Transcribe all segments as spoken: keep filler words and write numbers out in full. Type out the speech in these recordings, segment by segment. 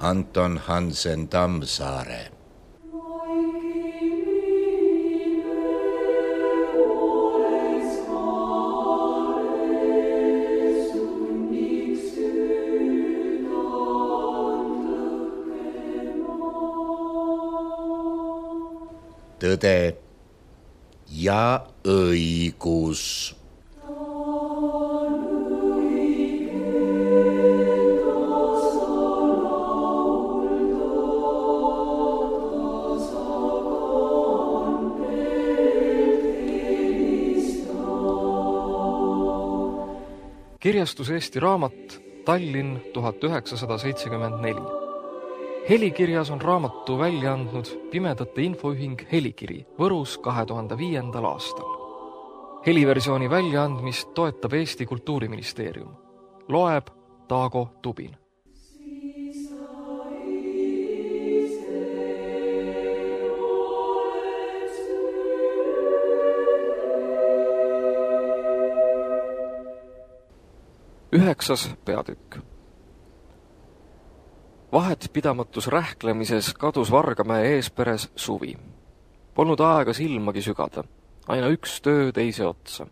Anton Hansen Tammsaare. Tõde ja õigus. Kirjastus Eesti Raamat, Tallinn tuhat üheksasada seitsekümmend neli. Helikirjas on raamatu välja andnud Pimedate Infoühing Helikiri Võrus kahe tuhande viiendal aastal. Heliversiooni väljaandmist toetab Eesti Kultuuriministeerium. Loeb Taago Tubin. Üheksas peatükk. Vahet pidamatus rähklemises kadus Vargamäe eesperes suvi. Polnud aega silmagi sügada, aina üks töö teise otsa.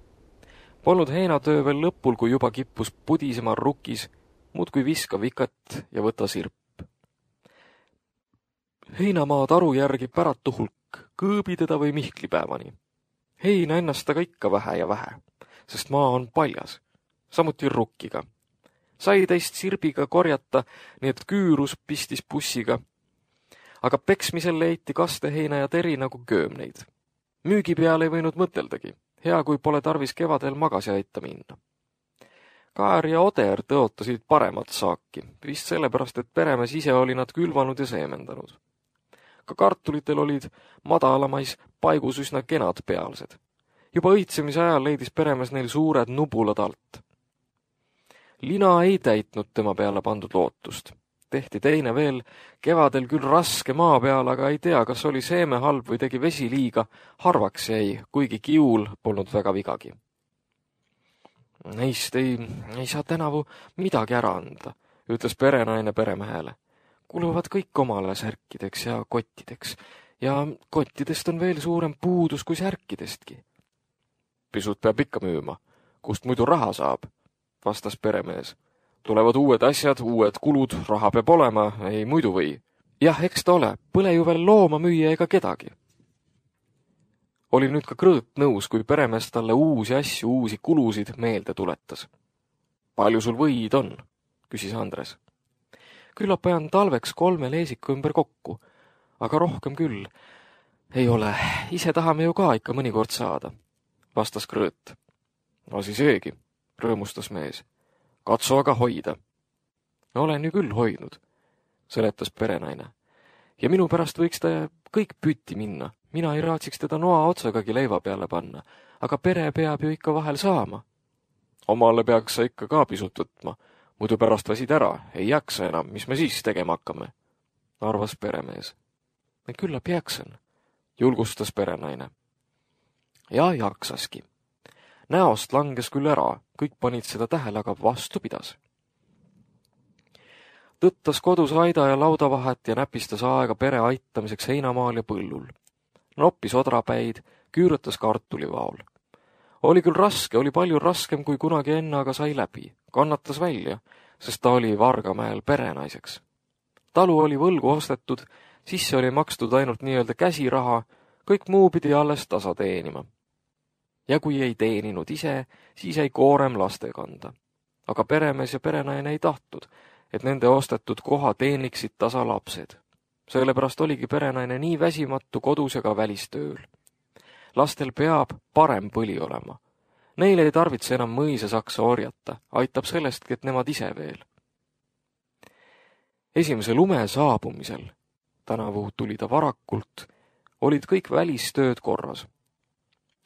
Polnud heinatöö veel lõpul, kui juba kippus pudisema rukis, muud kui viska vikat ja võta sirp. Heinamaa taru järgi päratu hulk, kõõbi teda või mihklipäevani. Heina ennast aga ikka vähe ja vähe, sest maa on paljas. Samuti rukkiga. Sai teist sirbiga korjata, nii et küürus pistis bussiga. Aga peksmisel leiti kasteheina ja teri nagu köömneid. Müügi peale ei võinud mõteldagi. Hea, kui pole tarvis kevadel magasi aita minna. Kaar ja Oder tõotasid paremat saaki, vist sellepärast, et peremees ise oli nad külvanud ja seemendanud. Ka kartulitel olid madalamais paigus üsna kenad pealsed. Juba õitsemise ajal leidis peremees neil suured nubulad alt. Lina ei täitnud tema peale pandud lootust. Tehti teine veel, kevadel küll raske maa peal, aga ei tea, kas oli seeme halb või tegi vesi liiga, harvaks jäi, kuigi kiul polnud väga vigagi. Neist ei, ei saa tänavu midagi ära anda, ütles perenaine peremehele. Kuluvad kõik omale särkideks ja kottideks, ja kottidest on veel suurem puudus kui särkidestki. Pisut peab ikka müüma, kust muidu raha saab, vastas peremees. Tulevad uued asjad, uued kulud, raha peab olema, ei muidu või. Jah, eks ta ole, põle ju veel looma müüa ega kedagi. Oli nüüd ka Krõõt nõus, kui peremees talle uusi asju, uusi kulusid meelde tuletas. Palju sul võid on, küsis Andres. Küllap ajan talveks kolme leesiku ümber kokku, aga rohkem küll. Ei ole, ise tahame ju ka ikka mõnikord saada, vastas Krõõt. Asi seegi, rõõmustas mees. Katsu aga hoida. Olen ju küll hoidnud, seletas perenaine. Ja minu pärast võiks ta kõik pütti minna. Mina ei raatsiks teda noa otsagagi leiva peale panna, aga pere peab ju ikka vahel saama. Omale peaks sa ikka ka pisut võtma, muidu pärast väsid ära, ei jaksa enam, mis me siis tegema hakkame, arvas peremees. Küllap jaksan, julgustas perenaine. Ja jaksaski. Näost langes küll ära, kõik panid seda tähele, aga vastu pidas. Tõttas kodus aida ja laudavahet ja näpistas aega pere aitamiseks heinamaal ja põllul. Noppis odrapäid, küürutas kartulivaol. Oli küll raske, oli palju raskem kui kunagi enne, aga sai läbi. Kannatas välja, sest ta oli Vargamäel perenaiseks. Talu oli võlgu ostetud, sisse oli makstud ainult nii-öelda käsiraha, kõik muu pidi alles tasa teenima. Ja kui ei teeninud ise, siis jäi koorem laste kanda. Aga peremees ja perenaine ei tahtnud, et nende ostetud koha teeniksid tasa lapsed. Sellepärast oligi perenaine nii väsimatu kodus ja ka välistööl. Lastel peab parem põli olema. Neile ei tarvitse enam mõisa saksa orjata, aitab sellestki, et nemad ise veel. Esimese lume saabumisel, tänavu tuli ta varakult, olid kõik välistööd korras.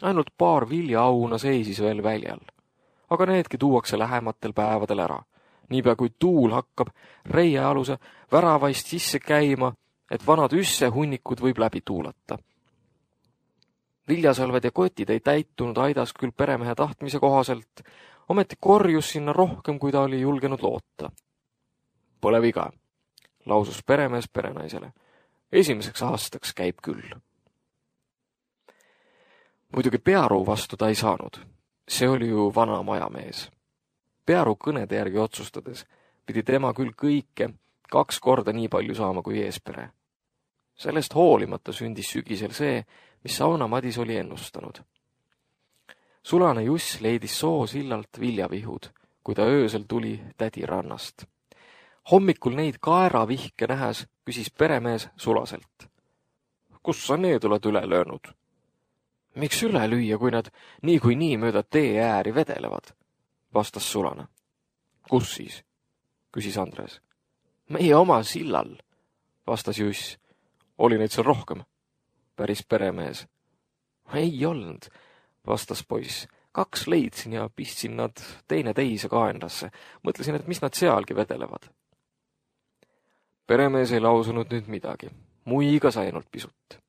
Ainult paar viljaauna seisis veel väljal, aga needki tuuakse lähematel päevadel ära. Niipea kui tuul hakkab reiealuse väravaist sisse käima, et vanad üsse hunnikud võib läbi tuulata. Viljasalved ja kotid ei täitunud aidas küll peremehe tahtmise kohaselt, ometi korjus sinna rohkem, kui ta oli julgenud loota. Pole viga. lausus peremees perenaisele. Esimeseks aastaks käib küll. Muidugi Pearu vastu ta ei saanud. See oli ju vana majamees. Pearu kõnede järgi otsustades pidi tema küll kõike kaks korda nii palju saama kui eespere. Sellest hoolimata sündis sügisel see, mis Sauna Madis oli ennustanud. Sulane Juss leidis soo sillalt viljavihud, kui ta öösel tuli tädi rannast. Hommikul neid kaeravihke nähes küsis peremees Sulaselt. Kus sa need oled üle löönud? Miks üle lüüa, kui nad nii kui nii mööda tee ääri vedelevad? Vastas Sulane. Kus siis? Küsis Andres. Meie oma sillal, vastas Juss. Oli neid seal rohkem? Päris peremees. Ei olnud, vastas poiss. Kaks leidsin ja pistsin nad teine teise kaenlasse. Mõtlesin, et mis nad sealgi vedelevad. Peremees ei lausunud nüüd midagi. Muiga sai ainult pisut.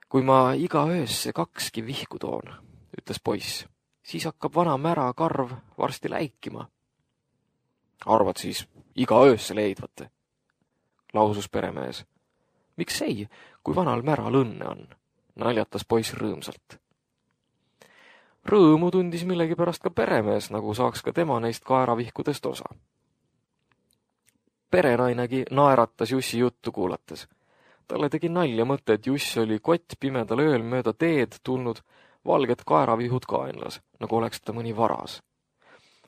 Kui ma iga öösse kakski vihku toon, ütles poiss, siis hakkab vana mära karv varsti läikima. Arvad siis iga öösse leidvate? Lausus peremees. Miks ei, kui vanal märal õnne on? Naljatas poiss rõõmsalt. Rõõmu tundis millegipärast ka peremees, nagu saaks ka tema neist kaeravihkudest osa. Perenainegi naeratas Jussi juttu kuulates. Talle tegi nalja mõte, et Juss oli kott pimedal ööl mööda teed tulnud valged kaeravihud kaenlas, nagu oleks ta mõni varas.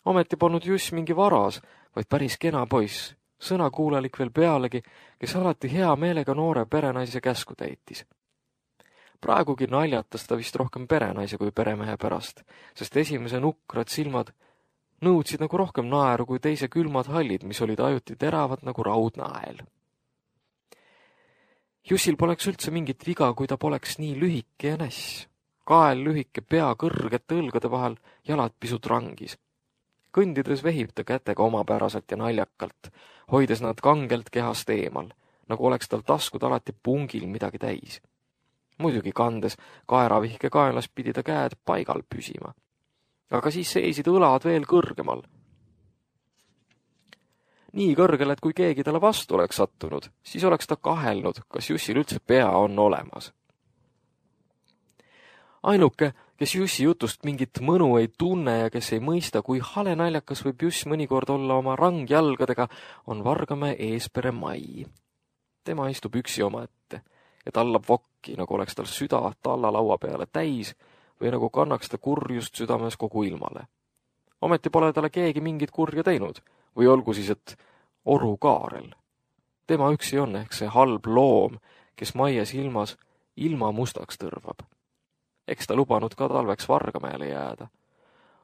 Ometi polnud Juss mingi varas, vaid päris kena poiss, sõnakuulelik veel pealegi, kes alati hea meelega noore perenaise käsku täitis. Praegugi naljatas ta vist rohkem perenaise kui peremehe pärast, sest esimese nukrad silmad nõudsid nagu rohkem naeru kui teise külmad hallid, mis olid ajuti teravad nagu raudnael. Jussil poleks üldse mingit viga, kui ta poleks nii lühike ja näss. Kael lühike, pea kõrgete õlgade vahel, jalad pisut rangis. Kõndides vehib ta kätega omapäraselt ja naljakalt, hoides nad kangelt kehast eemal, nagu oleks tal taskud alati pungil midagi täis. Muidugi kandes kaeravihke kaelas pidi ta käed paigal püsima. Aga siis seisid õlad veel kõrgemal. Nii kõrgel, et kui keegi talle vastu oleks sattunud, siis oleks ta kahelnud, kas Jussil üldse pea on olemas. Ainuke, kes Jussi jutust mingit mõnu ei tunne ja kes ei mõista, kui hale naljakas võib Juss mõnikord olla oma rangjalgadega, on Vargamäe eespere Mai. Tema istub üksi omaette ja tallab vokki, nagu oleks tal süda tallalaua peale täis või nagu kannaks ta kurjust südames kogu ilmale. Ometi pole talle keegi mingit kurja teinud, või olgu siis, et Oru Kaarel. Tema üksi on ehk see halb loom, kes Maie silmas ilma mustaks tõrvab. Eks ta lubanud ka talveks Vargamäele jääda.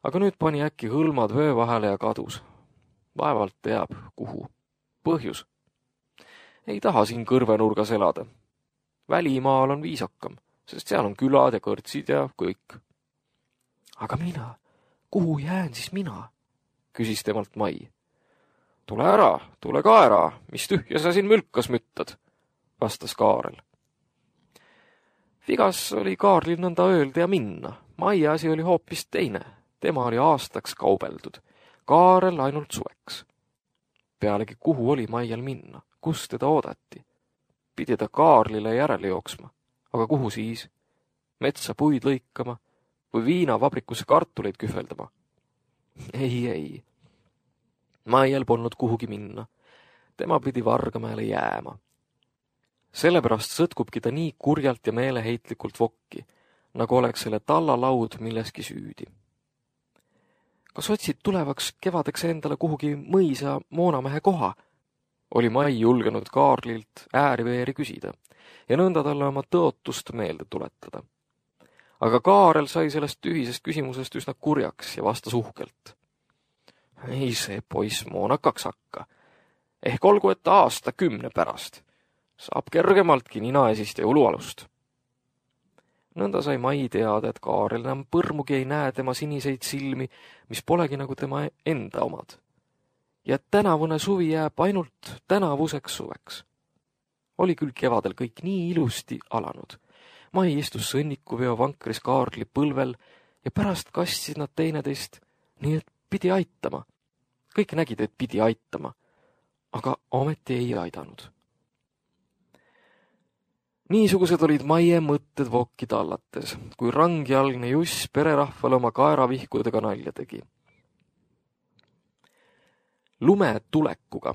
Aga nüüd pani äkki hõlmad vöö vahele ja kadus. Vaevalt teab, kuhu. Põhjus. Ei taha siin kõrvenurgas elada. Välimaal on viisakam, sest seal on külad ja kõrtsid ja kõik. Aga mina, kuhu jään siis mina? Küsis temalt Mai. Tule ära, tule ka ära, mis tühja sa siin mülkas müttad, vastas Kaarel. Vigas oli Kaarlil nõnda öelda ja minna. Mai asi oli hoopis teine. Tema oli aastaks kaubeldud. Kaarel ainult suveks. Pealegi kuhu oli Maial minna? Kus teda oodati? Pidi ta Kaarlile järele jooksma. Aga kuhu siis? Metsa puid lõikama või viinavabrikusse kartuleid kühveldama? Ei, ei. Maial polnud kuhugi minna. Tema pidi Vargamäele jääma. Sellepärast sõtkubki ta nii kurjalt ja meeleheitlikult vokki, nagu oleks selle tallalaud milleski süüdi. Kas otsid tulevaks kevadeks endale kuhugi mõisa moonamehe koha? Oli Mai julgenud Kaarlilt ääriveeri küsida ja nõnda talle oma tõotust meelde tuletada. Aga Kaarel sai sellest tühisest küsimusest üsna kurjaks ja vastas uhkelt. Ei see poiss moonakaks hakka. Ehk olgu, et aasta kümne pärast. Saab kergemaltki ninaesist ja ulualust. Nõnda sai Mai teada, et Kaarel enam põrmugi ei näe tema siniseid silmi, mis polegi nagu tema enda omad. Ja tänavune suvi jääb ainult tänavuseks suveks. Oli küll kevadel kõik nii ilusti alanud. Mai istus sõnnikuveo vankris Kaarli põlvel ja pärast kastsid nad teineteist, nii et pidi aitama. Kõik nägid, et pidi aitama. aga ometi ei aidanud. Niisugused olid Maie mõtted vokki tallates, kui rangjalgne Juss pererahvale oma kaeravihkudega nalja tegi. Lume tulekuga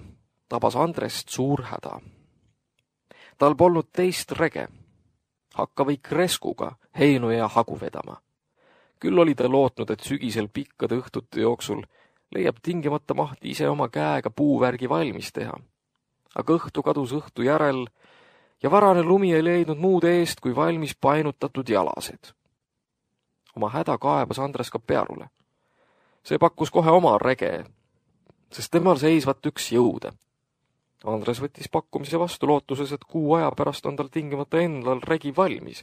tabas Andrest suur häda. Tal polnud teist rege. Hakka või kreskuga heinu ja hagu vedama. Küll oli ta lootnud, et sügisel pikkade õhtute jooksul leiab tingimata mahti ise oma käega puuvärgi valmis teha. Aga õhtu kadus õhtu järel ja varane lumi ei leidnud muud eest kui valmis painutatud jalased. Oma häda kaebas Andres ka Pearule. See pakkus kohe oma rege, sest temal seisvat üks jõude. Andres võttis pakkumise vastu lootuses, et kuu aja pärast on tal tingimata endal regi valmis.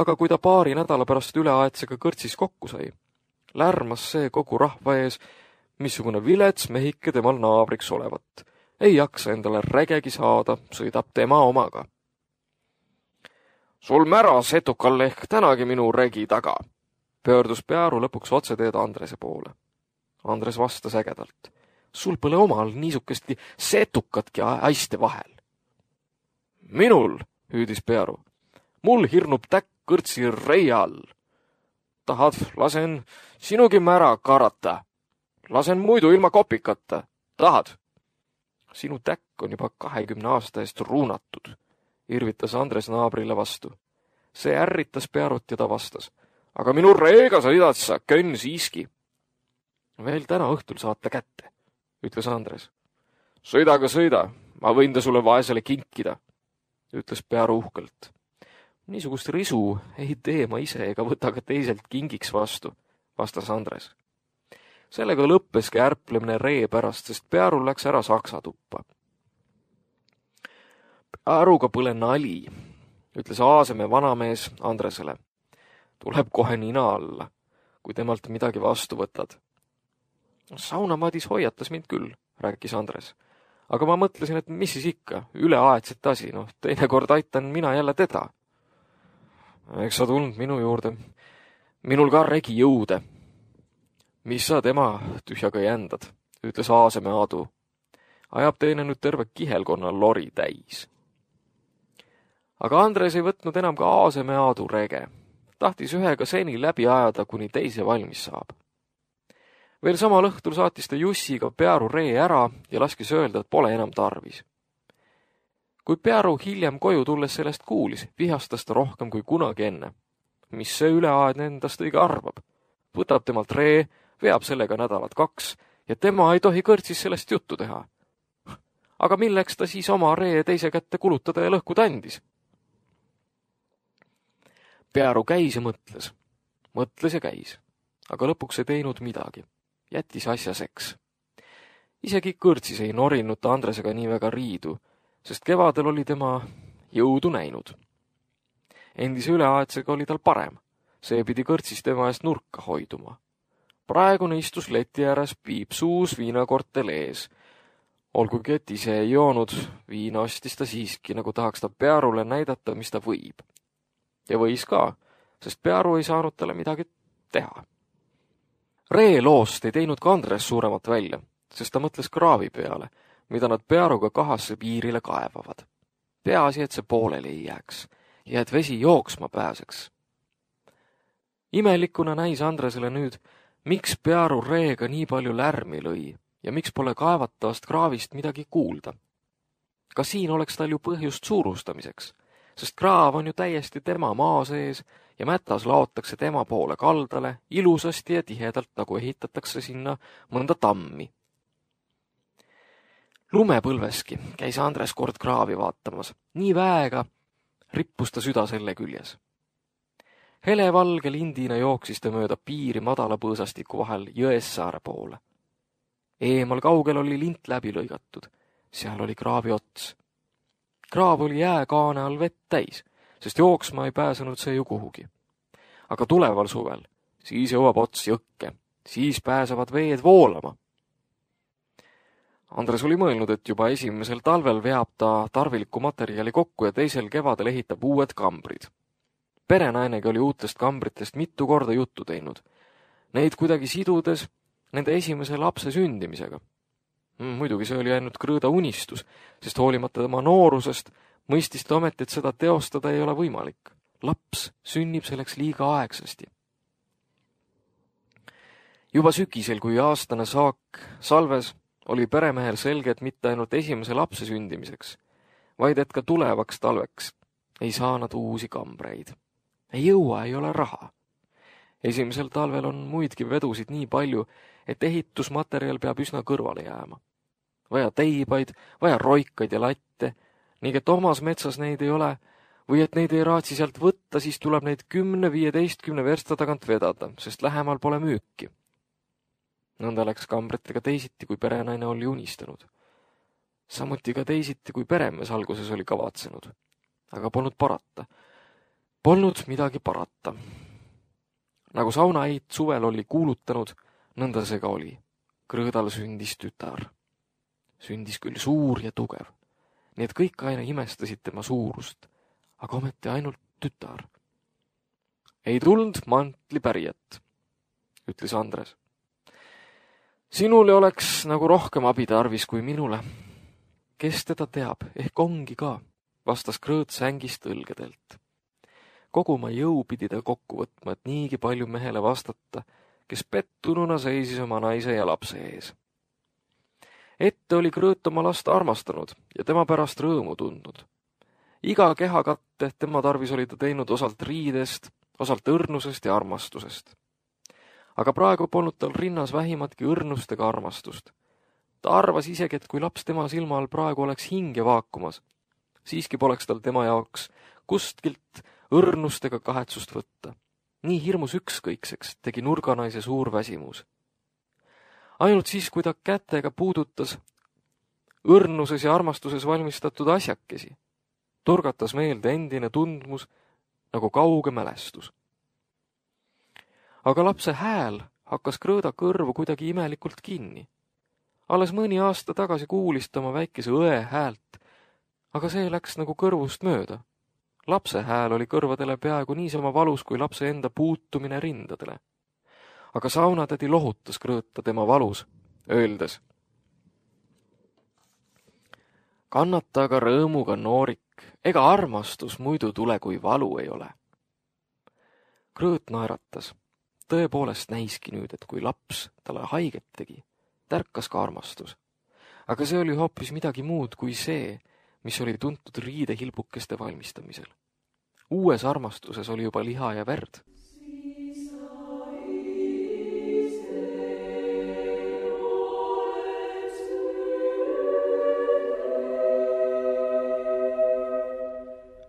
Aga kui ta paari nädala pärast üleaetsega kõrtsis kokku sai, lärmas see kogu rahva ees, missugune vilets mehike temal naabriks olevat. Ei jaksa endale regegi saada, sõidab tema omaga. Sul mära setukal ehk tänagi minu regi taga, pöördus Pearu lõpuks otseteed Andrese poole. Andres vastas ägedalt. Sul pole omal niisukestki setukatki aiste vahel. Minul, hüüdis Pearu. Mul hirnub täkk kõrtsi reia all. Tahad, lasen sinugi mära karata. Lasen muidu ilma kopikata. Tahad? Sinu täkk on juba kahekümne aasta eest ruunatud, irvitas Andres naabrile vastu. See ärritas Pearut ja ta vastas. Aga minu reega sõidad sa, könn siiski. Veel täna õhtul saate kätte, ütles Andres. Sõida aga sõida, ma võin ta sulle vaesele kinkida, ütles Pearu uhkelt. Niisugust risu ei tee ma ise ega võta ka teiselt kingiks vastu, vastas Andres. Sellega lõppeski ärplemine ree pärast, sest Pearul läks ära saksa tuppa. Pearuga pole nali, ütles Aaseme vanamees Andresele. Tuleb kohe nina alla, kui temalt midagi vastu võtad. Saunamadis hoiatas mind küll, rääkis Andres. Aga ma mõtlesin, et mis siis ikka, üleaetset asi, noh, teinekord aitan mina jälle teda. Eks sa tulnud minu juurde. Minul ka regi jõude. Mis sa tema tühjaga jändad, ütles Aaseme Aadu. Ajab teine nüüd terve kihelkonna lori täis. Aga Andres ei võtnud enam ka Aaseme Aadu rege. Tahtis ühega seni läbi ajada, kuni teise valmis saab. Veel samal õhtul saatis ta Jussiga Pearu ree ära ja laskis öelda, et pole enam tarvis. Kui Pearu hiljem koju tulles sellest kuulis, vihastas ta rohkem kui kunagi enne. Mis see üleaedne endast õige arvab? Võtab temalt ree, veab sellega nädalat kaks ja tema ei tohi kõrtsis sellest juttu teha. Aga milleks ta siis oma ree teise kätte kulutada ja lõhkuda andis? Pearu käis ja mõtles. Mõtles ja käis. Aga lõpuks ei teinud midagi. Jättis asja seks. Isegi kõrtsis ei norinud ta Andresega nii väga riidu, sest kevadel oli tema jõudu näinud. Endise üleaetsega oli tal parem. See pidi kõrtsis tema eest nurka hoiduma. Praegune istus leti ääres piip suus viinakortel ees. Olgugi, et ise ei joonud, viina ostis ta siiski, nagu tahaks ta Pearule näidata, mis ta võib. Ja võis ka, sest Pearu ei saanud talle midagi teha. Ree loost ei teinud ka Andres suuremat välja, sest ta mõtles kraavi peale, mida nad Pearuga kahasse piirile kaevavad. Peaasi, et see pooleli ei jääks ja et vesi jooksma pääseks. Imelikuna näis Andresele nüüd, miks Pearu reega nii palju lärmi lõi ja miks pole kaevatavast kraavist midagi kuulda. Ka siin oleks tal ju põhjust suurustamiseks, sest kraav on ju täiesti tema maa sees ja mätas laotakse tema poole kaldale ilusasti ja tihedalt, nagu ehitatakse sinna mõnda tammi. Lumepõlveski käis Andres kord kraavi vaatamas. Nii väega rippus ta süda selle küljes. Helevalge lindina jooksis ta mööda piiri madala põõsastiku vahel Jõessaare poole. Eemal kaugel oli lint läbi lõigatud. Seal oli kraavi ots. Kraav oli jääkaane all vett täis, sest jooksma ei pääsenud see ju kuhugi. Aga tuleval suvel, siis jõuab ots jõkke, siis pääsevad veed voolama. Andres oli mõelnud, et juba esimesel talvel veab ta tarviliku materjali kokku ja teisel kevadel ehitab uued kambrid. Perenainegi oli uutest kambritest mitu korda juttu teinud. Neid kuidagi sidudes nende esimese lapse sündimisega. Muidugi see oli ainult Krõõda unistus, sest hoolimata tema noorusest mõistis ta ometi, et seda teostada ei ole võimalik. Laps sünnib selleks liiga aegsasti. Juba sügisel, kui aastane saak salves, oli peremehel selge, et mitte ainult esimese lapse sündimiseks, vaid et ka tulevaks talveks ei saa nad uusi kambreid. Ei jõua, ei ole raha. Esimesel talvel on muidki vedusid nii palju, et ehitusmaterjal peab üsna kõrvale jääma. Vaja teibaid, vaja roikaid ja latte, ning et omas metsas neid ei ole, või et neid ei raatsi sealt võtta, siis tuleb neid kümne viieteistkümne versta tagant vedada, sest lähemal pole müüki. Nõnda läks kambritega teisiti, kui perenaine oli unistanud. Samuti ka teisiti, kui peremees alguses oli kavatsenud. Aga polnud parata. Polnud midagi parata. Nagu saunaid suvel oli kuulutanud, nõnda see ka oli. Krõõdal sündis tütar. Sündis küll suur ja tugev. Nii et kõik aina imestasid tema suurust, aga ometi ainult tütar. Ei tulnud mantli pärijat, ütles Andres. Sinul ei oleks nagu rohkem abi tarvis kui minule. Kes teda teab, ehk ongi ka, vastas Krõõt sängist õlgedelt. Kogu oma jõu pidi ta kokku võtma, et niigi palju mehele vastata, kes pettununa seisis oma naise ja lapse ees. Ette oli Krõõt oma last armastanud ja tema pärast rõõmu tundnud. Iga kehakatte tema tarvis oli ta teinud osalt riidest, osalt õrnusest ja armastusest. Aga praegu polnud tal rinnas vähimatki õrnust ega armastust. Ta arvas isegi, et kui laps tema silma all praegu oleks hinge vaakumas, siiski poleks tal tema jaoks kustkilt õrnust ega kahetsust võtta. Nii hirmus ükskõikseks tegi nurganaise suur väsimus. Ainult siis, kui ta kätega puudutas õrnuses ja armastuses valmistatud asjakesi, turgatas meelde endine tundmus nagu kauge mälestus. Aga lapse hääl hakkas Krõõda kõrvu kuidagi imelikult kinni. Alles mõni aasta tagasi kuulis ta oma väikese õe häält, aga see läks nagu kõrvust mööda. Lapse hääl oli kõrvadele peaaegu niisama valus kui lapse enda puutumine rindadele. Aga saunatädi lohutas Krõõta tema valus, öeldes: kannata aga rõõmuga noorik, ega armastus muidu tule, kui valu ei ole. Krõõt naeratas. Tõepoolest näiski nüüd, et kui laps talle haiget tegi, tärkas ka armastus. Aga see oli hoopis midagi muud kui see, mis oli tuntud riidehilbukeste valmistamisel. Uues armastuses oli juba liha ja verd.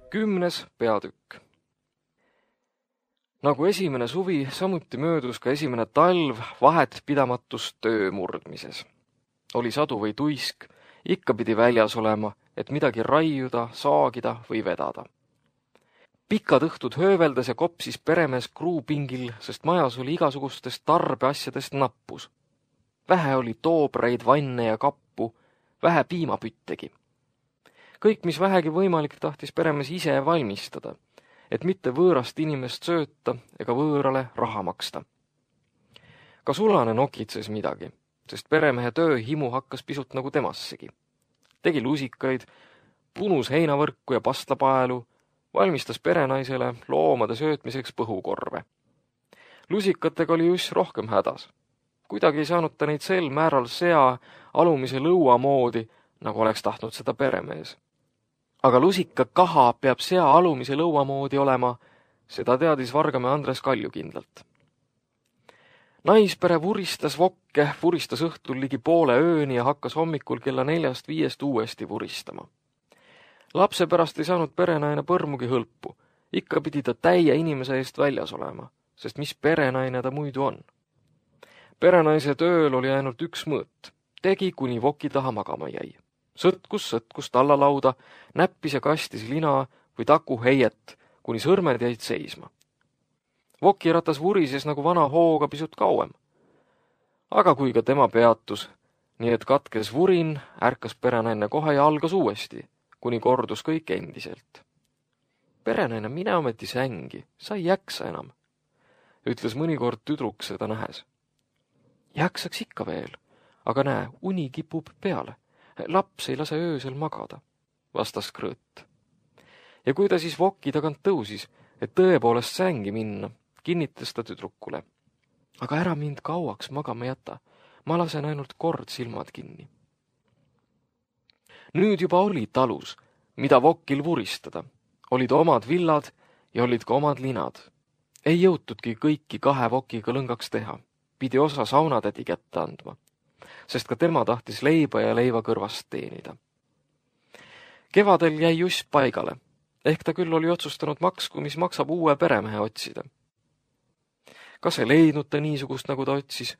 Kümnes peatükk. Nagu esimene suvi, samuti möödus ka esimene talv vahet pidamatus töö murdmises. Oli sadu või tuisk, ikka pidi väljas olema, et midagi raiuda, saagida või vedada. Pikad õhtud hööveldes ja kopsis peremees kruupingil, sest majas oli igasugustest tarbeasjadest nappus. Vähe oli toobreid, vanne ja kappu, vähe piimapüttegi. Kõik, mis vähegi võimalik, tahtis peremees ise valmistada, et mitte võõrast inimest sööta ega võõrale raha maksta. Ka sulane nokitses midagi, sest peremehe tööhimu hakkas pisut nagu temassegi. Tegi lusikaid, punus heinavõrku ja pastlapaelu, valmistas perenaisele loomade söötmiseks põhukorve. Lusikatega oli just rohkem hädas. Kuidagi ei saanud ta neid sel määral sea alumise lõua moodi, nagu oleks tahtnud seda peremees. Aga lusika kaha peab sea alumise lõua moodi olema, seda teadis Vargamäe Andres Kalju kindlalt. Naispere vuristas vokke, vuristas õhtul ligi poole ööni ja hakkas hommikul kella neljast viiest uuesti vuristama. Lapse pärast ei saanud perenaine põrmugi hõlpu, ikka pidi ta täie inimese eest väljas olema, sest mis perenaine ta muidu on. Perenaise tööl oli ainult üks mõõt, tegi kuni voki taha magama jäi. Sõtkus, sõtkus tallalauda, näppis ja kastis lina või taku heiet, kuni sõrmed jäid seisma. Vokiratas vurises nagu vana hooga pisut kauem. Aga kui ka tema peatus, nii et katkes vurin, ärkas perenaine kohe ja algas uuesti, kuni kordus kõik endiselt. Perenaine, mine ometi sängi, sa ei jaksa enam, ütles mõnikord tüdruk seda nähes. Jaksaks ikka veel, aga näe, uni kipub peale. Laps ei lase öösel magada, vastas Krõõt. Ja kui ta siis voki tagant tõusis, et tõepoolest sängi minna, kinnitas ta tüdrukule. Aga ära mind kauaks magama jäta, ma lasen ainult kord silmad kinni. Nüüd juba oli talus, mida vokil vuristada. Olid omad villad ja olid ka omad linad. Ei jõutudki kõiki kahe vokiga lõngaks teha. Pidi osa saunatädi kätte andma, sest ka tema tahtis leiba ja leiva kõrvast teenida. Kevadel jäi Juss paigale, ehk ta küll oli otsustanud maksku, mis maksab uue peremehe otsida. Kas ei leidnud ta niisugust, nagu ta otsis?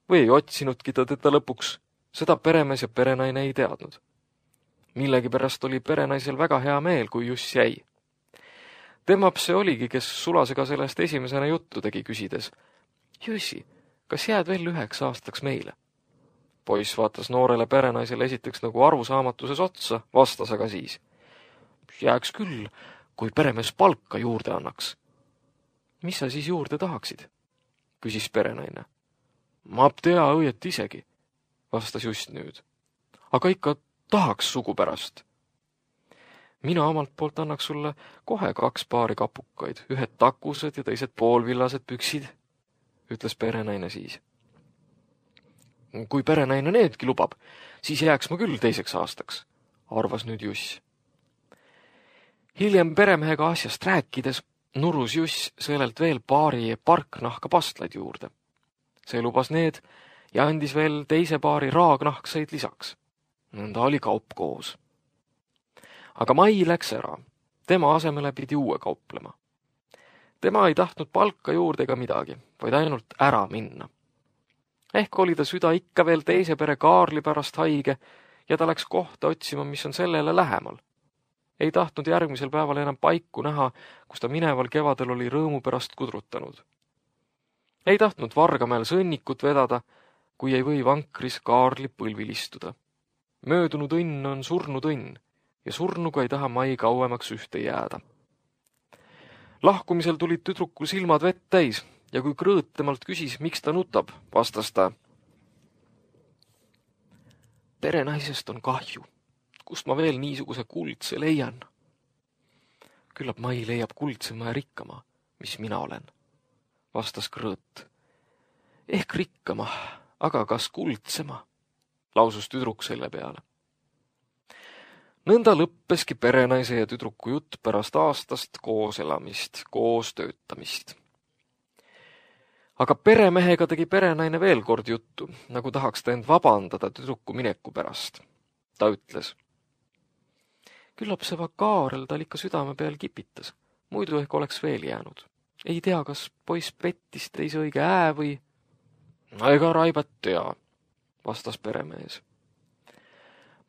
Või ei otsinudki ta teda lõpuks? Seda peremees ja perenaine ei teadnud. Millegipärast oli perenaisel väga hea meel, kui Juss jäi. Temap see oligi, kes Sulasega sellest esimesena juttu tegi küsides. Jussi, kas jääd veel üheks aastaks meile? Poiss vaatas noorele perenaisele esiteks nagu arusaamatuses otsa, vastas aga siis. Jääks küll, kui peremees palka juurde annaks. Mis sa siis juurde tahaksid? Küsis perenaine. Ma tea õiet isegi, vastas Just nüüd. Aga ikka tahaks sugu pärast. Mina omalt poolt annaks sulle kohe kaks paari kapukaid, ühed takused ja teised poolvillased püksid, ütles perenaine siis. Kui perenaine needki lubab, siis jääks ma küll teiseks aastaks, arvas nüüd Juss. Hiljem peremehega asjast rääkides nurus Juss sõelelt veel paari parknahka pastlaid juurde. See lubas need ja andis veel teise paari raagnahkseid lisaks. Nõnda oli kaup koos. Aga Mai läks ära. Tema asemele pidi uue kauplema. Tema ei tahtnud palka juurde ega midagi, vaid ainult ära minna. Ehk oli ta süda ikka veel teise pere Kaarli pärast haige ja ta läks kohta otsima, mis on sellele lähemal. Ei tahtnud järgmisel päeval enam paiku näha, kus ta mineval kevadel oli rõõmu pärast kudrutanud. Ei tahtnud Vargamäel sõnnikut vedada, kui ei või vankris Kaarli põlvil istuda. Möödunud õnn on surnud õnn ja surnuga ei taha Mai kauemaks ühte jääda. Lahkumisel tulid tüdrukul silmad vett täis ja kui Krõõt temalt küsis, miks ta nutab, vastas ta. Perenaisest on kahju. Kust ma veel niisuguse kuldse leian? Küllap Mai leiab kuldsema ja rikkama, mis mina olen, vastas Krõõt. Ehk rikkama, aga kas kuldsema, lausus tüdruk selle peale. Nõnda lõppeski perenaise ja tüdruku jutt pärast aastast koos elamist, koos töötamist. Aga peremehega tegi perenaine veel kord juttu, nagu tahaks ta end vabandada tüdruku mineku pärast. Ta ütles. Küllap see Kaarel tal ikka südame peal kipitas, muidu ehk oleks veel jäänud. Ei tea, kas poiss pettis teise õige ää või... Ega Raibat tea, vastas peremees.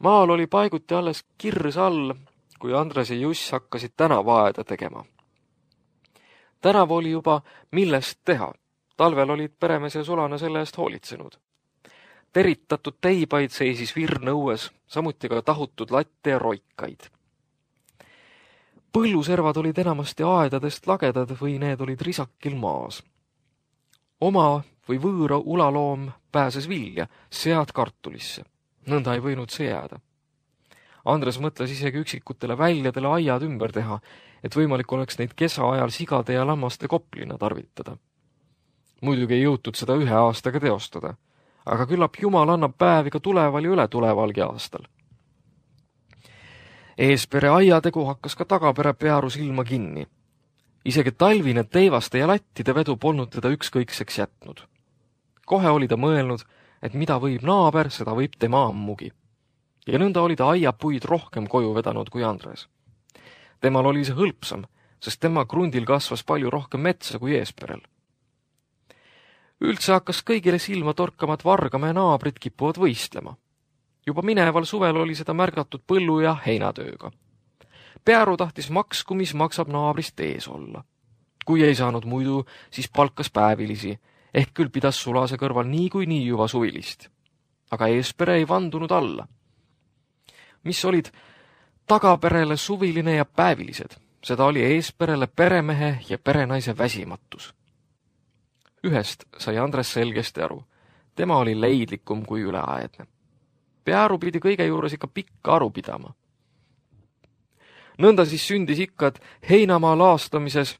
Maal oli paiguti alles kirs all, kui Andres ja Juss hakkasid tänavaaeda tegema. Tänav oli juba millest teha. Talvel olid peremees ja Sulane selle eest hoolitsenud. Teritatud teibaid seisis virn õues, samuti ka tahutud latte ja roikaid. Põlluservad olid enamasti aedadest lagedad või need olid risakil maas. Oma või võõra ulaloom pääses vilja, sead kartulisse. Nõnda ei võinud see jääda. Andres mõtles isegi üksikutele väljadele aiad ümber teha, et võimalik oleks neid kesa ajal sigade ja lammaste koplina tarvitada. Muidugi ei jõutud seda ühe aastaga teostada, aga küllap Jumal annab päevi ka tuleval ja üle tulevalgi aastal. Eespere aiategu hakkas ka tagapere pearu silma kinni. Isegi talvine teivaste ja lattide vedu polnud teda ükskõikseks jätnud. Kohe oli ta mõelnud, et mida võib naaber, seda võib tema ammugi. Ja nõnda oli ta aiapuid rohkem koju vedanud kui Andres. Temal oli see hõlpsam, sest tema krundil kasvas palju rohkem metsa kui Eesperel. Üldse hakkas kõigile silma torkama, et Vargamäe naabrid kipuvad võistlema. Juba mineval suvel oli seda märgatud põllu- ja heinatööga. Pearu tahtis maksku, mis maksab naabrist ees olla. Kui ei saanud muidu, siis palkas päevilisi, ehk küll pidas Sulase kõrval nii kui nii juba suvilist. Aga Eespere ei vandunud alla. Mis olid tagaperele suviline ja päevilised, seda oli Eesperele peremehe ja perenaise väsimatus. Ühest sai Andres selgesti aru. tema oli leidlikum kui üleaedne. Pearu pidi kõige juures ikka pikka aru pidama. Nõnda siis sündis ikka, et heinamaa laastamises,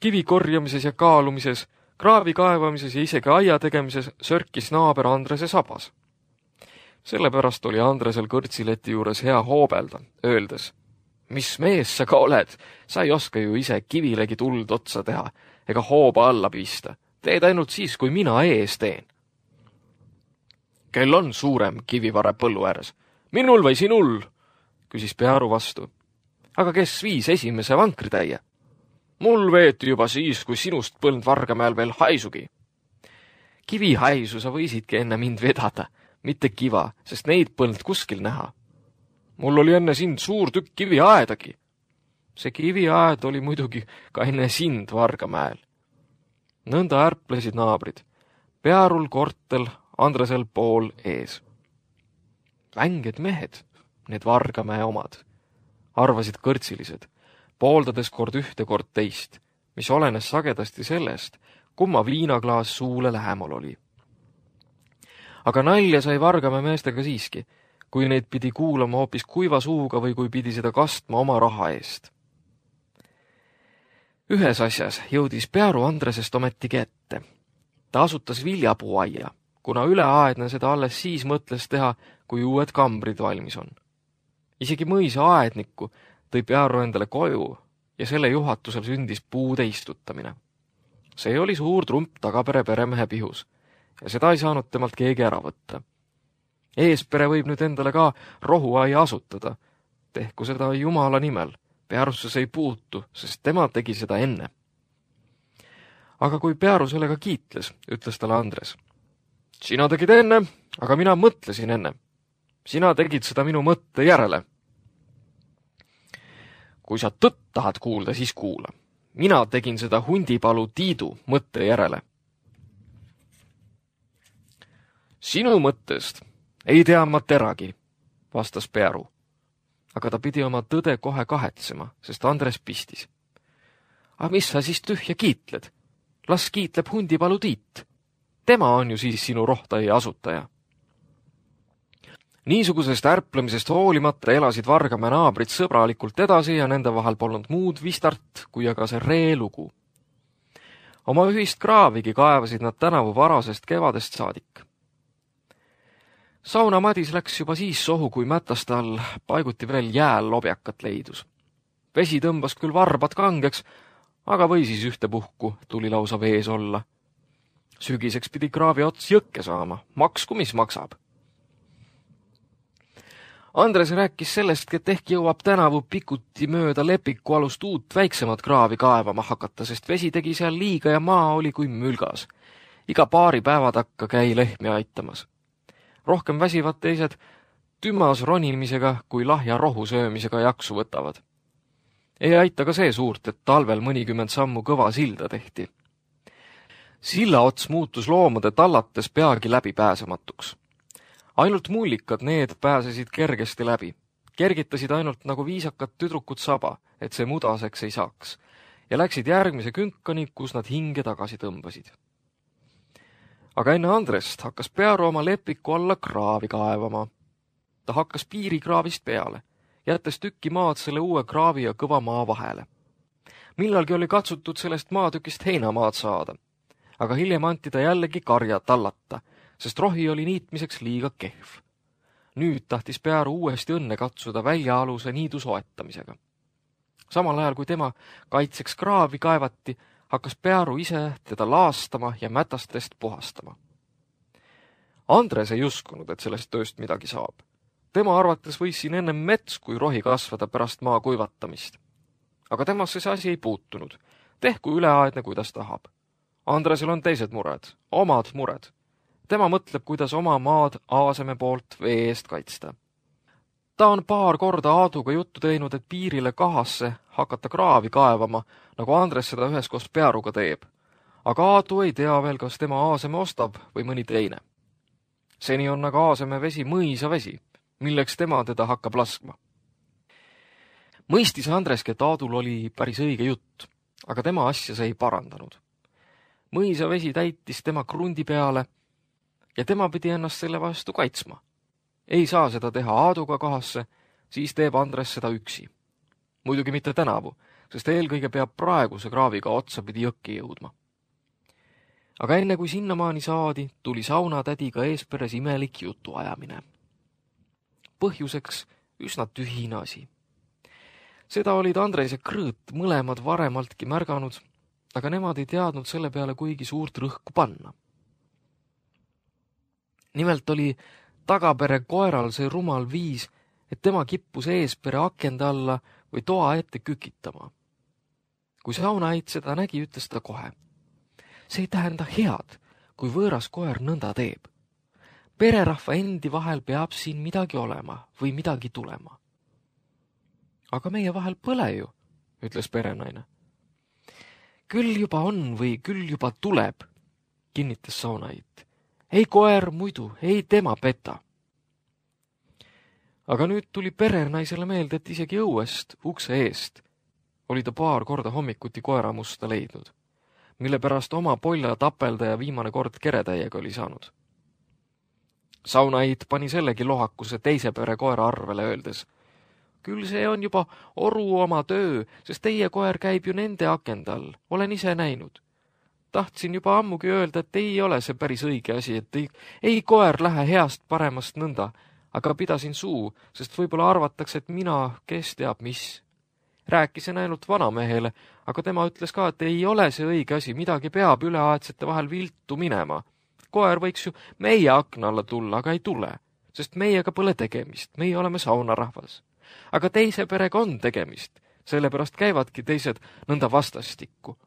kivi korjamises ja kaalumises, kraavi kaevamises ja isegi aia tegemises sörkis naaber Andrese sabas. Sellepärast oli Andresel kõrtsileti juures hea hoobelda, öeldes: mis mees sa ka oled, sa ei oska ju ise kivilegi tuld otsa teha ega hooba alla pista. Teed ainult siis, kui mina ees teen. Kel on suurem kivivare põllu ääres? Minul või sinul? Küsis Pearu vastu. Aga kes viis esimese vankritäie? Mul veeti juba siis, kui sinust põlnud Vargamäel veel haisugi. Kivi haisu sa võisidki enne mind vedada, mitte kiva, sest neid põlnud kuskil näha. Mul oli enne sind suur tükk kiviaedagi. See kiviaed oli muidugi ka enne sind Vargamäel. Nõnda ärplesid naabrid. Pearul kortel, Andresel pool ees. Vänged mehed, need Vargamäe omad, arvasid kõrtsilised, pooldades kord ühte kord teist, mis olenes sagedasti sellest, kumma viinaklaas suule lähemal oli. Aga nalja sai Vargamäe meestega siiski, kui neid pidi kuulama hoopis kuiva suuga või kui pidi seda kastma oma raha eest. Ühes asjas jõudis Pearu Andresest ometigi ette. Ta asutas viljapuuaia, kuna üleaedne seda alles siis mõtles teha, kui uued kambrid valmis on. Isegi mõisa aednikku tõi Pearu endale koju ja selle juhatusel sündis puude istutamine. See oli suur trump tagapere peremehe pihus ja seda ei saanud temalt keegi ära võtta. Eespere võib nüüd endale ka rohuaia asutada. Tehku seda Jumala nimel. Pearusse see ei puutu, sest tema tegi seda enne. Aga kui Pearu sellega kiitles, ütles talle Andres. Sina tegid enne, aga mina mõtlesin enne. Sina tegid seda minu mõtte järele. Kui sa tõtt tahad kuulda, siis kuula. Mina tegin seda hundipalu Tiidu mõtte järele. Sinu mõttest ei tea ma teragi, vastas Pearu. Aga ta pidi oma tõde kohe kahetsema, sest Andres pistis. Aga mis sa siis tühja kiitled? Las kiitleb hundipalu Tiit. Tema on ju siis sinu rohtaia asutaja. Niisugusest ärplemisest hoolimata elasid Vargamäe naabrid sõbralikult edasi ja nende vahel polnud muud vistart kui aga see reelugu. Oma ühist kraavigi kaevasid nad tänavu varasest kevadest saadik. Sauna Madis läks juba siis sohu, kui mätaste all paiguti veel jääl lobjakat leidus. Vesi tõmbas küll varbad kangeks, aga või siis ühtepuhku tuli lausa vees olla. Sügiseks pidi kraavi ots jõkke saama, maksku mis maksab. Andres rääkis sellest, et ehk jõuab tänavu pikuti mööda Lepiku alust uut väiksemat kraavi kaevama hakata, sest vesi tegi seal liiga ja maa oli kui mülgas. Iga paari päeva takka käi lehmi aitamas. Rohkem väsivad teised tümas ronimisega kui lahja rohu söömisega jaksu võtavad. Ei aita ka see suurt, et talvel mõnikümmend sammu kõva silda tehti. Silla ots muutus loomade tallates peagi läbipääsematuks. Ainult mullikad need pääsesid kergesti läbi. Kergitasid ainult nagu viisakad tüdrukud saba, et see mudaseks ei saaks, ja läksid järgmise künkani, kus nad hinge tagasi tõmbasid. Aga enne Andrest hakkas Pearu oma Lepiku alla kraavi kaevama. Ta hakkas piirikraavist peale, jättes tükki maad selle uue kraavi ja kõva maa vahele. Millalgi oli katsutud sellest maatükist heinamaad saada, aga hiljem anti ta jällegi karja tallata, sest rohi oli niitmiseks liiga kehv. Nüüd tahtis Pearu uuesti õnne katsuda väljaaluse niidu soetamisega. Samal ajal, kui tema kaitseks kraavi kaevati, hakkas Pearu ise teda laastama ja mätastest puhastama. Andres ei uskunud, et sellest tööst midagi saab. Tema arvates võis siin ennem mets kui rohi kasvada pärast maa kuivatamist. Aga temasse see asi ei puutunud. Tehku üleaedne, kuidas tahab. Andresel on teised mured, omad mured. Tema mõtleb, kuidas oma maad Aaseme poolt vee eest kaitsta. Ta on paar korda Aaduga juttu teinud, et piirile kahasse hakata kraavi kaevama, nagu Andres seda üheskoos Pearuga teeb. Aga Aadu ei tea veel, kas tema Aaseme ostab või mõni teine. Seni on aga Aaseme vesi mõisa vesi, milleks tema teda hakkab laskma. Mõistis Andreski, et Aadul oli päris õige jutt, aga tema asja see ei parandanud. Mõisa vesi täitis tema krundi peale, ja tema pidi ennast selle vastu kaitsma. Ei saa seda teha Aaduga kahasse, siis teeb Andres seda üksi. Muidugi mitte tänavu, sest eelkõige peab praeguse kraaviga otsapidi jõkki jõudma. Aga enne kui sinnamaani saadi, tuli saunatädiga Eesperes imelik jutuajamine. Põhjuseks üsna tühine asi. Seda olid Andres ja Krõõt mõlemad varemaltki märganud, aga nemad ei teadnud selle peale kuigi suurt rõhku panna. Nimelt oli Tagapere koeral see rumal viis, et tema kippus Eespere akende alla või toa ette kükitama. Kui saunaid seda nägi, ütles ta kohe. See ei tähenda head, kui võõras koer nõnda teeb. Pererahva endi vahel peab siin midagi olema või midagi tulema. Aga meie vahel pole ju, ütles perenaine. Küll juba on või küll juba tuleb, kinnitas Saunait. Ei koer muidu, ei tema peta. Aga nüüd tuli perenaisele meelde, et isegi õuest, ukse eest, oli ta paar korda hommikuti koeramusta leidnud, mille pärast oma polja tapelda ja viimane kord keretäiega oli saanud. Saunait pani sellegi lohakuse teise pere koera arvele öeldes. Küll see on juba oru oma töö, sest teie koer käib ju nende akende all, olen ise näinud. Tahtsin juba ammugi öelda, et ei ole see päris õige asi, et ei, ei koer lähe heast paremast nõnda, aga pidasin suu, sest võib-olla arvatakse, et mina, kes teab mis. Rääkisin ainult vanamehele, aga tema ütles ka, et ei ole see õige asi, midagi peab üleaedsete vahel viltu minema. Koer võiks ju meie akna alla tulla, aga ei tule, sest meiega pole tegemist, meie oleme saunarahvas. Aga teise perega on tegemist, sellepärast käivadki teised nõnda vastastikku.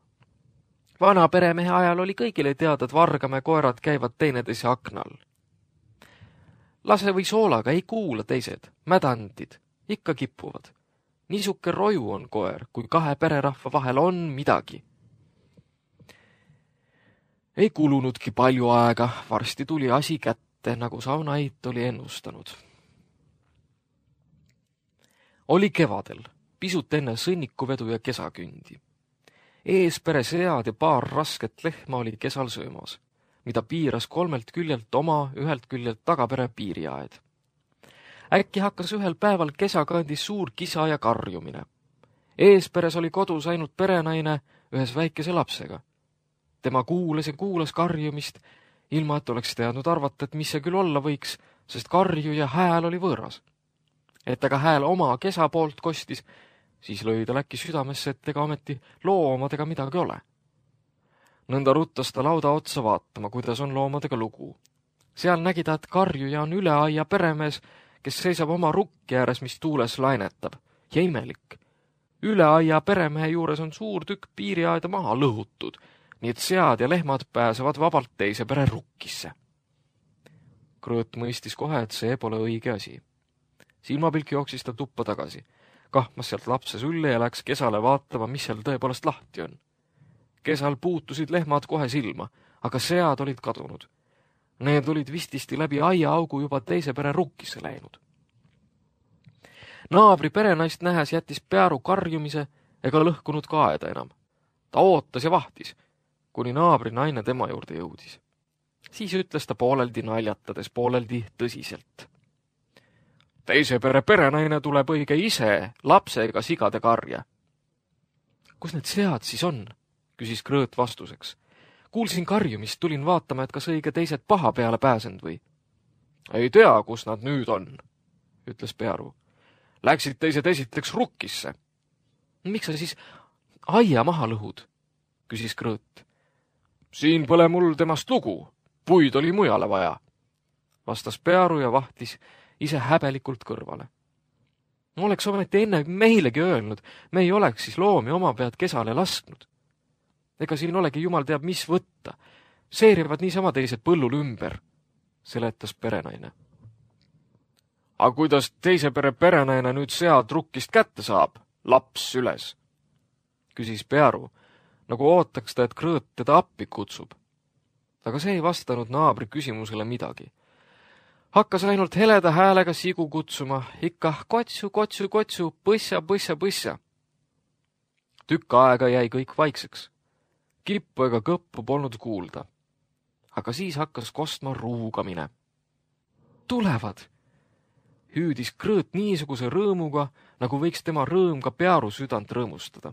Vana peremehe ajal oli kõigile teada, et Vargamäe koerad käivad teineteise aknal. Lase või soolaga ei kuula teised, mädandid, ikka kipuvad. Niisuke roju on koer, kui kahe pererahva vahel on midagi. Ei kulunudki palju aega, varsti tuli asi kätte, nagu Saunait oli ennustanud. Oli kevadel, pisut enne sõnnikuvedu ja kesakündi. Eespere sead ja paar rasket lehma oli kesal söömas, mida piiras kolmelt küljelt oma, ühelt küljelt Tagapere piiriaed. Äkki hakkas ühel päeval kesakandis suur kisa ja karjumine. Eesperes oli kodus ainult perenaine ühes väikese lapsega. Tema kuulas ja kuulas karjumist, ilma et oleks teadnud arvata, et mis see küll olla võiks, sest karju ja hääl oli võõras. Et aga hääl oma kesa poolt kostis, siis lõi ta läkki südamesse, et ega ometi loomadega midagi ole. Nõnda ruttas ta lauda otsa vaatama, kuidas on loomadega lugu. Seal nägi ta, et karjuja on üle aia peremees, kes seisab oma rukki ääres, mis tuules lainetab. Ja imelik. Üle aia peremehe juures on suur tükk piiriaeda maha lõhutud, nii et sead ja lehmad pääsevad vabalt teise pere rukkisse. Krõõt mõistis kohe, et see pole õige asi. Silmapilk jooksis ta tuppa tagasi. Kahmas sealt lapse sülle ja läks kesale vaatama, mis seal tõepoolest lahti on. Kesal puutusid lehmad kohe silma, aga sead olid kadunud. Need olid vististi läbi aiaaugu juba teise pere rukkisse läinud. Naabri perenaist nähes jättis Pearu karjumise ega lõhkunud ka aeda enam. Ta ootas ja vahtis, kuni naabri naine tema juurde jõudis. Siis ütles ta pooleldi naljatades, pooleldi tõsiselt. Teise pere perenaine tuleb õige ise lapsega sigade karja. Kus need sead siis on? Küsis Krõõt vastuseks. Kuulsin karjumist, tulin vaatama, et kas õige teised paha peale pääsend või. Ei tea, kus nad nüüd on, ütles Pearu. Läksid teised esiteks rukkisse. Miks sa siis aia maha lõhud? Küsis Krõõt. Siin pole mul temast lugu, puid oli mujale vaja, vastas Pearu ja vahtis ise häbelikult kõrvale. No oleks ometi enne meilegi öelnud, me ei oleks siis loomi oma pead kesale lasknud. Ega siin olegi jumal teab mis võtta. Seerivad niisama teised põllul ümber, seletas perenaine. Aga kuidas teise pere perenaine nüüd sead rukkist kätte saab? Laps süles, küsis Pearu, nagu ootaks ta, et Krõõt teda appi kutsub. Aga see ei vastanud naabri küsimusele midagi. Hakkas ainult heleda häälega sigu kutsuma, ikka kotsu, kotsu, kotsu, põssa, põssa, põssa. Tükk aega jäi kõik vaikseks. Kippu ega kõppu polnud kuulda. aga siis hakkas kostma ruugamine. Tulevad! Hüüdis Krõõt niisuguse rõõmuga, nagu võiks tema rõõm ka Pearu südant rõõmustada.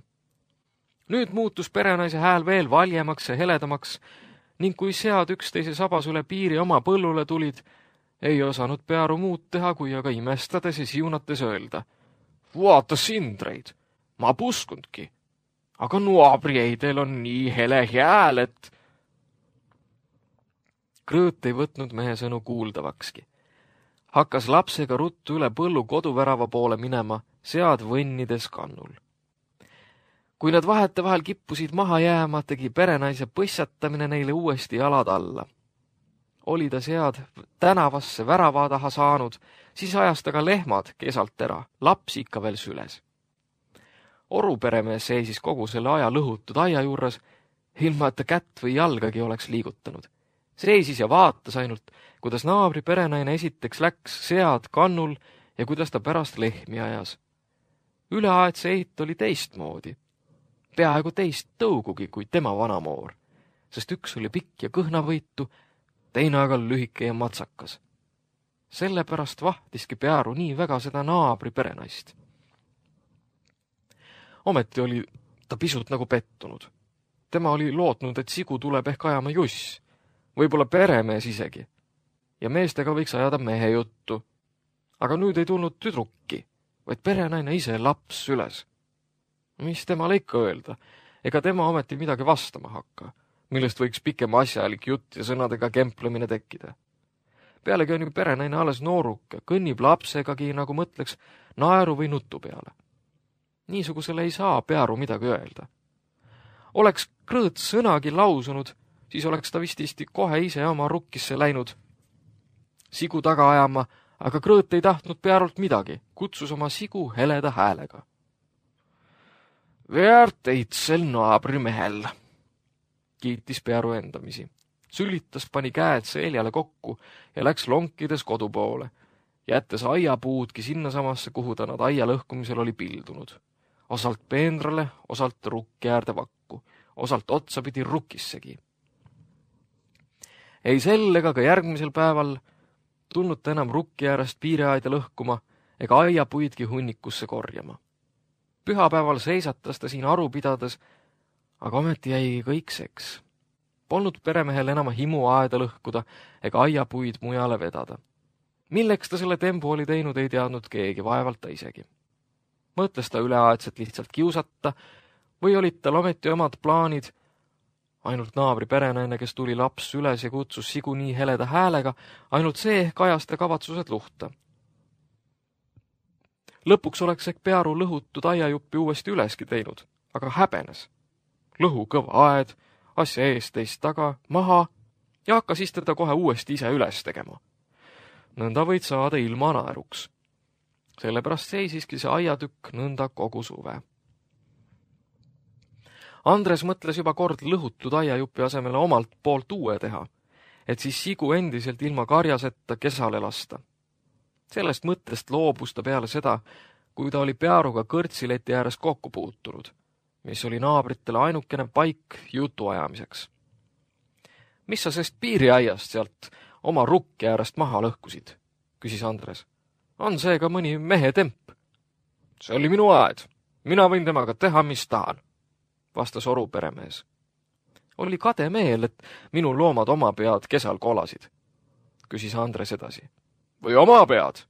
Nüüd muutus perenaise hääl veel valjemaks ja heledamaks ning kui sead üksteise sabas üle piiri oma põllule tulid, ei osanud Pearu muud teha, kui aga imestades ja siunates öelda. Vaata sindreid, ma puskundki, aga nuabrieidel on nii hele hääl, et... Krõõt ei võtnud mehe sõnu kuuldavakski. Hakkas lapsega ruttu üle põllu koduvärava poole minema, sead võnnides kannul. Kui nad vahete vahel kippusid maha jääma, tegi perenaise põssatamine neile uuesti jalad alla. Oli ta sead tänavasse värava taha saanud, siis ajas ta ka lehmad kesalt ära, laps ikka veel süles. Oruperemees seisis kogu selle aja lõhutud aia juures, ilma et ta kätt või jalgagi oleks liigutanud. Seisis ja vaatas ainult, kuidas naabri perenaine esiteks läks sead kannul ja kuidas ta pärast lehmi ajas. Üleaedse eit oli teistmoodi. Peaaegu teist tõugugi kui tema vanamoor, sest üks oli pikk ja kõhnavõitu, teine aga lühike ja matsakas. Sellepärast vahtiski Pearu nii väga seda naabri perenaist. Ometi oli ta pisut nagu pettunud. Tema oli lootnud, et sigu tuleb ehk ajama juss, võib-olla peremees isegi, ja meestega võiks ajada mehe juttu. Aga nüüd ei tulnud tüdrukki, vaid perenaine ise laps süles. Mis temale ikka öelda, ega tema ometi midagi vastama hakka, millest võiks pikem asjalik jutt ja sõnadega kemplemine tekkida. Pealegi on ju perenaine alles nooruke, kõnnib lapsegagi, nagu mõtleks, naeru või nutu peale. Niisugusele ei saa Pearu midagi öelda. Oleks Krõõt sõnagi lausunud, siis oleks ta vist isti kohe ise oma rukkisse läinud sigu taga ajama, aga Krõõt ei tahtnud Pearult midagi, kutsus oma sigu heleda häälega. Väärt eitsel naabrimehel, kiitis Pearu endamisi. Sülitas pani käed seljale kokku ja läks lonkides kodu poole, jättes aiapuudki sinnasamasse, kuhu ta nad aia lõhkumisel oli pildunud. Osalt peendrale, osalt rukki äärde vakku, osalt otsapidi rukkissegi. Ei sel ega ka järgmisel päeval tulnud ta enam rukki äärest piireaida lõhkuma ega aiapuidki hunnikusse korjama. Pühapäeval seisatas ta siin aru pidades, aga ometi jäi kõik seks. Polnud peremehel enam himu aeda lõhkuda ega aiapuid mujale vedada. Milleks ta selle tembu oli teinud, ei teadnud keegi, vaevalt ta isegi. Mõtles ta üleaedselt lihtsalt kiusata või olid tal ometi omad plaanid. Ainult naabri perenaine, kes tuli laps üles ja kutsus sigu nii heleda häälega, ainult see ehk ajas ta kavatsused luhta. Lõpuks oleks ehk Pearu lõhutud aiajuppi uuesti üleski teinud, aga häbenes. Lõhu kõva aed, asja eest teist taga, maha ja hakkas istada kohe uuesti ise üles tegema. Nõnda võid saada ilma naeruks. Sellepärast seisiski see aiatükk nõnda kogu suve. Andres mõtles juba kord lõhutud aiajupi asemele omalt poolt uue teha, et siis sigu endiselt ilma karjasetta kesale lasta. Sellest mõttest loobus ta peale seda, kui ta oli Pearuga kõrtsileti ääres kokku puutunud, mis oli naabritele ainukene paik jutu ajamiseks. Mis sa sest piiriaiast sealt oma rukki äärest maha lõhkusid, küsis Andres. On see ka mõni mehe temp? See oli minu aed. Mina võin temaga teha, mis tahan, vastas oruperemees. Oli kade meel, et minu loomad oma pead kesal kolasid, küsis Andres edasi. Või oma pead,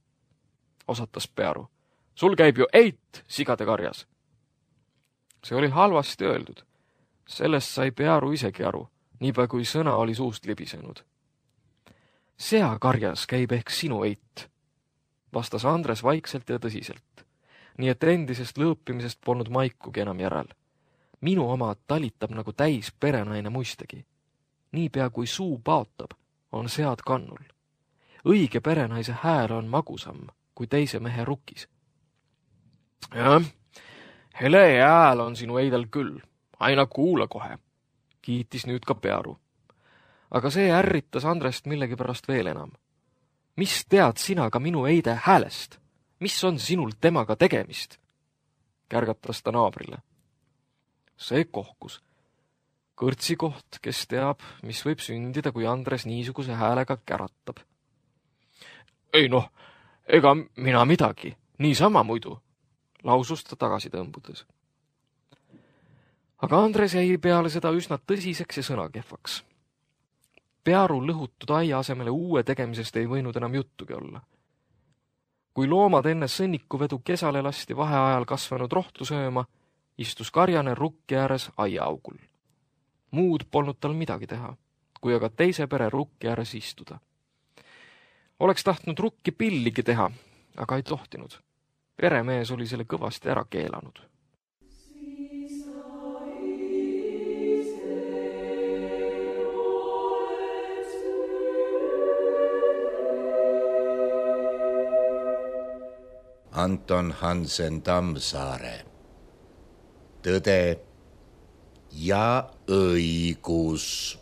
osatas Pearu. Sul käib ju eit sigade karjas. See oli halvasti öeldud. Sellest sai Pearu isegi aru, niipea kui sõna oli suust libisenud. Sea karjas käib ehk sinu eit, vastas Andres vaikselt ja tõsiselt, nii et endisest lõõpimisest polnud maikugi enam järel. Minu oma talitab nagu täis perenaine muistegi. Niipea kui suu paotab, on sead kannul. Õige perenaise hääl on magusam kui teise mehe rukkis. Jah, hele hääl on sinu eidel küll, aina kuula kohe, kiitis nüüd ka Pearu. Aga see ärritas Andrest millegipärast veel enam. Mis tead sina ka minu eide häälest? Mis on sinul temaga tegemist? Kärgatas ta naabrile. See kohkus. kõrtsikoht, kes teab, mis võib sündida, kui Andres niisuguse häälega käratab. Ei noh, ega mina midagi, niisama muidu, lausus ta tagasi tõmbudes. Aga Andres jäi peale seda üsna tõsiseks ja sõnakehvaks. Pearu lõhutud aia asemele uue tegemisest ei võinud enam juttugi olla. Kui loomad enne sõnnikuvedu kesale lasti vaheajal kasvanud rohtu sööma, istus karjane rukki ääres aiaaugul. Muud polnud tal midagi teha, kui aga teise pere rukki ääres istuda. Oleks tahtnud rukki pilligi teha, aga ei tohtinud. Peremees oli selle kõvasti ära keelanud. Anton Hansen Tammsaare. Tõde ja õigus.